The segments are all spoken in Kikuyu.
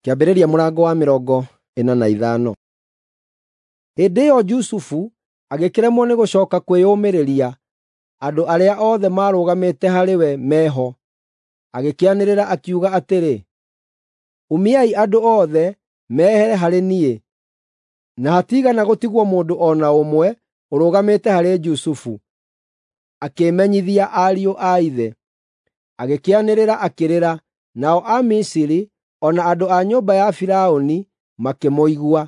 Kĩambĩrĩria mũrango wa 45. Hĩndĩ ĩyo Jusufu agĩkĩremwo nĩ gũcooka kwĩyũmĩrĩria andũ arĩa othe maarũgamĩte harĩ we meho, agĩkĩanĩrĩra akiuga atĩrĩ, “Umiai andũ othe mehere harĩ niĩ!” Na hatiigana gũtigwo mũndũ o na ũmwe ũrũgamĩte harĩ Jusufu. Akĩĩmenyithia ariũ a ithe. Agĩkĩanĩrĩra akĩrĩra, nao Amisiri o na andũ a nyũmba ya Firaũni makĩmũigua.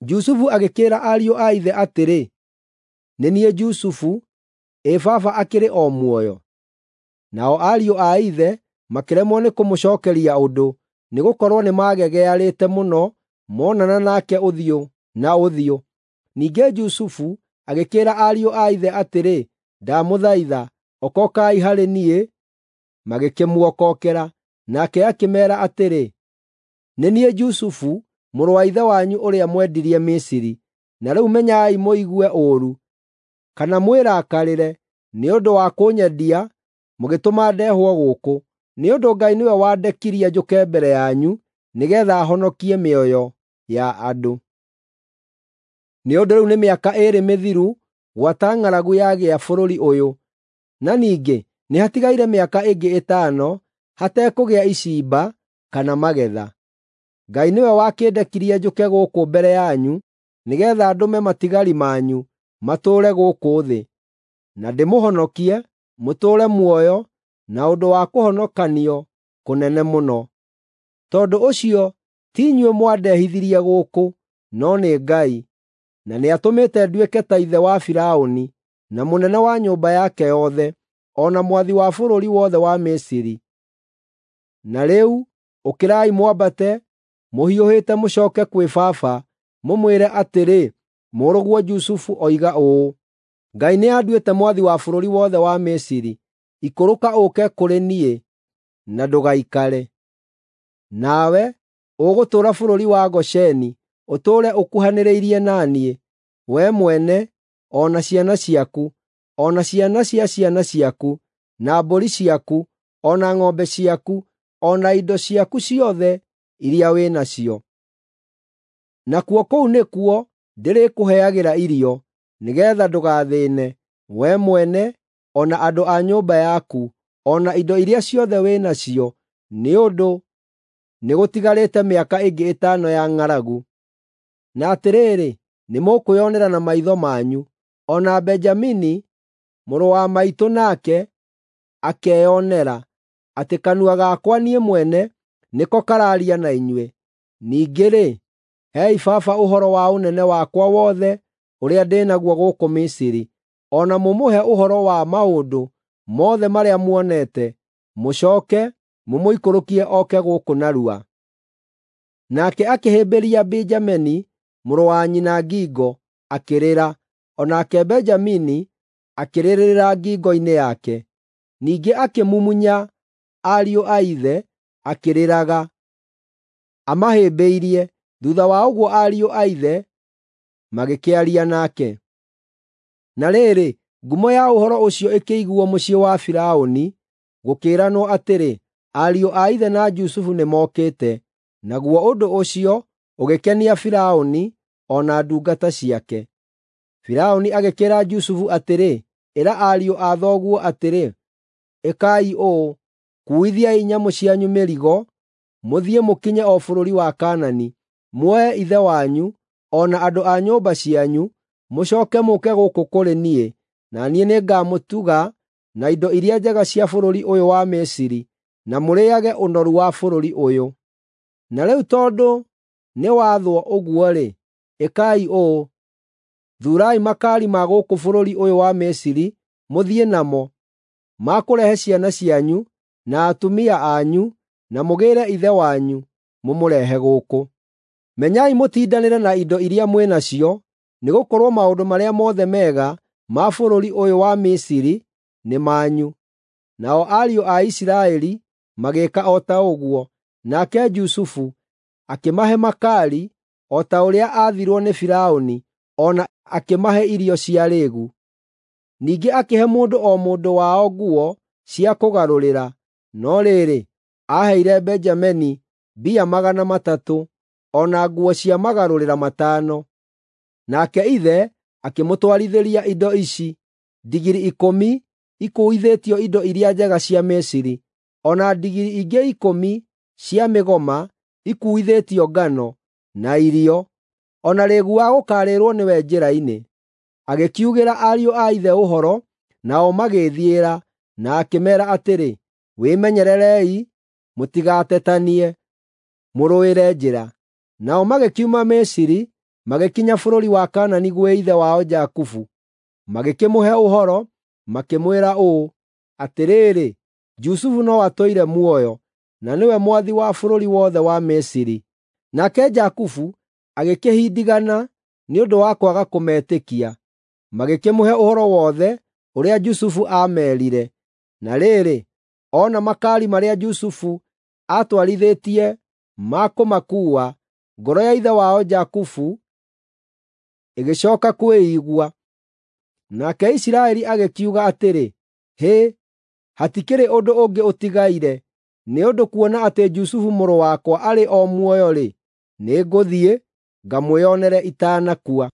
Jusufu agĩkĩĩra ariũ a ithe atĩrĩ, “Nĩ niĩ Jusufu, ĩ baba akĩrĩ o muoyo?” Nao ariũ a ithe makĩremwo nĩ kũmũcookeria ũndũ, nĩgũkorwo nĩmagegearĩte mũno monana nake ũthiũ na ũthiũ. Ningĩ Jusufu agĩkĩĩra ariũ a ithe atĩrĩ, “Ndamũthaitha, okokai harĩ niĩ.” Magĩkĩmuokokera. Nake akĩmeera atĩrĩ, “Nĩ niĩ Jusufu, mũrũ wa ithe wanyu ũrĩa mwendirie Misiri. Na rĩu menyai mũigue ũũru, kana mwĩrakarĩre nĩ ũndũ wa kũnyendia mũgĩtũma ndehwo gũkũ, nĩ ũndũ Ngai nĩwe wandekirie njũke mbere yanyu nĩgeetha honokie mĩoyo ya andũ. Nĩ ũndũ rĩu nĩ mĩaka ĩĩrĩ mĩthiru gwata ng'aragu yagĩa bũrũri ũyũ, na ningĩ nĩ hatigaire mĩaka ĩngĩ ĩtano hatekũgĩa icimba kana magetha. Ngai nĩwe wakĩndekirie njũke gũkũ mbere yanyu nĩgeetha ndũme matigari manyu matũũre gũkũ thĩ, na ndĩmũhonokie mũtũũre muoyo na ũndũ wa kũhonokanio kũnene mũno. Tondũ ũcio ti inyuĩ mwandehithirie gũkũ, no nĩ Ngai, na nĩatũmĩte nduĩke ta ithe wa Firaũni, na mũnene wa nyũmba yake yothe, o na mwathi wa bũrũri wothe wa Misiri. Na rĩu ũkĩrai mwambate mũhiũhĩte mũcooke kwĩ baba, mũmwĩre atĩrĩ, ‘Mũrũguo Jusufu oiga ũũ: Ngai nĩanduĩte mwathi wa bũrũri wothe wa Misiri. Ikũrũka ũũke kũrĩ niĩ, na ndũgaikare. Nawe ũgũtũũra bũrũri wa Gosheni, ũtũũre ũkuhanĩrĩirie na niĩ, wee mwene, o na ciana ciaku, o na ciana cia ciana ciaku, na mbũri ciaku, o na ng'ombe ciaku, o na indo ciaku ciothe iria wĩ nacio. Nakuo kũu nĩkuo ndĩrĩkũheagĩra irio, nĩgeetha ndũgathĩĩne, wee mwene, o na andũ a nyũmba yaku, o na indo iria ciothe wĩ nacio, nĩ ũndũ nĩgũtigarĩte mĩaka ĩngĩ ĩtano ya ng'aragu. Na atĩrĩrĩ, nĩmũkwĩonera na maitho manyu, o na Benjamini mũrũ wa maitũ nake akeyonera, atĩ kanua gakwa niĩ mwene nĩko karaaria na inyuĩ. Ningĩ-rĩ, heei baba ũhoro wa ũnene wakwa wothe ũrĩa ndĩ naguo gũkũ Misiri, o na mũmũhe ũhoro wa maũndũ mothe marĩa muonete, mũcooke mũmũikũrũkie oke gũkũ narua.” Nake akĩhĩmbĩria Benjamini mũrũ wa nyina ngingo, akĩrĩra, o nake Benjamini akĩrĩrĩra ngingo-inĩ yake. Ningĩ akĩmumunya ariũ a ithe akĩrĩraga, amahĩmbĩirie. Thuutha wa ũguo ariũ a ithe magĩkĩaria nake. Na rĩrĩ, ngumo ya ũhoro ũcio ĩkĩiguuo mũciĩ wa Firaũni, gũkĩĩranwo atĩrĩ, “Ariũ a ithe na Jusufu nĩmokĩte.” Naguo ũndũ ũcio ũgĩkenia Firaũni o na ndungata ciake. Firaũni agĩkĩĩra Jusufu atĩrĩ, “Ĩra ariũ a thoguo atĩrĩ, ‘Ĩkai ũũ: Kuuithiai nyamũ cianyu mĩrigo, mũthiĩ mũkinye o bũrũri wa Kaanani. Muoe ithe wanyu, o na andũ a nyũmba cianyu, mũcooke mũũke gũkũ kũrĩ niĩ, na niĩ nĩngamũtuga na indo iria njega cia bũrũri ũyũ wa Misiri, na mũrĩĩage ũnoru wa bũrũri ũyũ.’ Na rĩu tondũ nĩwathwo ũguo-rĩ, ĩkai ũũ: Thuurai makaari ma gũkũ bũrũri ũyũ wa Misiri mũthiĩ namo, ma kũrehe ciana cianyu, na atumia anyu, na mũgĩĩre ithe wanyu, mũmũrehe gũkũ. Menyai mũtindanĩre na indo iria mwĩ nacio, nĩgũkorwo maũndũ marĩa mothe mega ma bũrũri ũyũ wa Misiri nĩ manyu.” Nao ariũ a Isiraeli magĩĩka o ta ũguo, nake Jusufu akĩmahe makaari o ta ũrĩa aathirwo nĩ Firaũni, o na akĩmahe irio cia rĩĩgu. Ningĩ akĩhe mũndũ o mũndũ wao nguo cia kũgarũrĩra, no rĩrĩ, aaheire Benjamini mbia 300, o na nguo cia magarũrĩra 5. Nake ithe akĩmũtwarithĩria indo ici: ndigiri 10 ikuuithĩtio indo iria njega cia Misiri, o na ndigiri ingĩ 10 cia mĩgoma ikuuithĩtio ngano, na irio, o na rĩĩgu wa gũkaarĩrwo nĩwe njĩra-inĩ. Agĩkiugĩra ariũ a ithe ũhoro, nao magĩĩthiĩra, na akĩmeera atĩrĩ, “Wĩmenyererei, mũtigatetanie, mũrũĩre njĩra.” Nao magĩkiuma Misiri, magĩkinya bũrũri wa Kaanani gwĩ ithe wao Jakubu. Magĩkĩmũhe ũhoro, makĩmwĩra ũũ, “Atĩrĩrĩ, Jusufu no atũire muoyo, na nĩwe mwathi wa bũrũri wothe wa Misiri.” Nake Jakubu agĩkĩhindigana nĩ ũndũ wa kwaga kũmetĩkia. Magĩkĩmũhe ũhoro wothe ũrĩa Jusufu aameerire. Na rĩrĩ, ona makaari marĩa Jusufu aatwarithĩtie ma kũmakuua, ngoro ya ithe wao Jakubu ĩgĩcooka kwĩigua. Nake Isiraeli agĩkiuga atĩrĩ, “Hĩ, hatikĩrĩ ũndũ ũngĩ ũtigaire, nĩ ũndũ kuona atĩ Jusufu mũrũ wakwa arĩ o muoyo-rĩ, nĩngũthiĩ, ngamwĩonere itanakua.”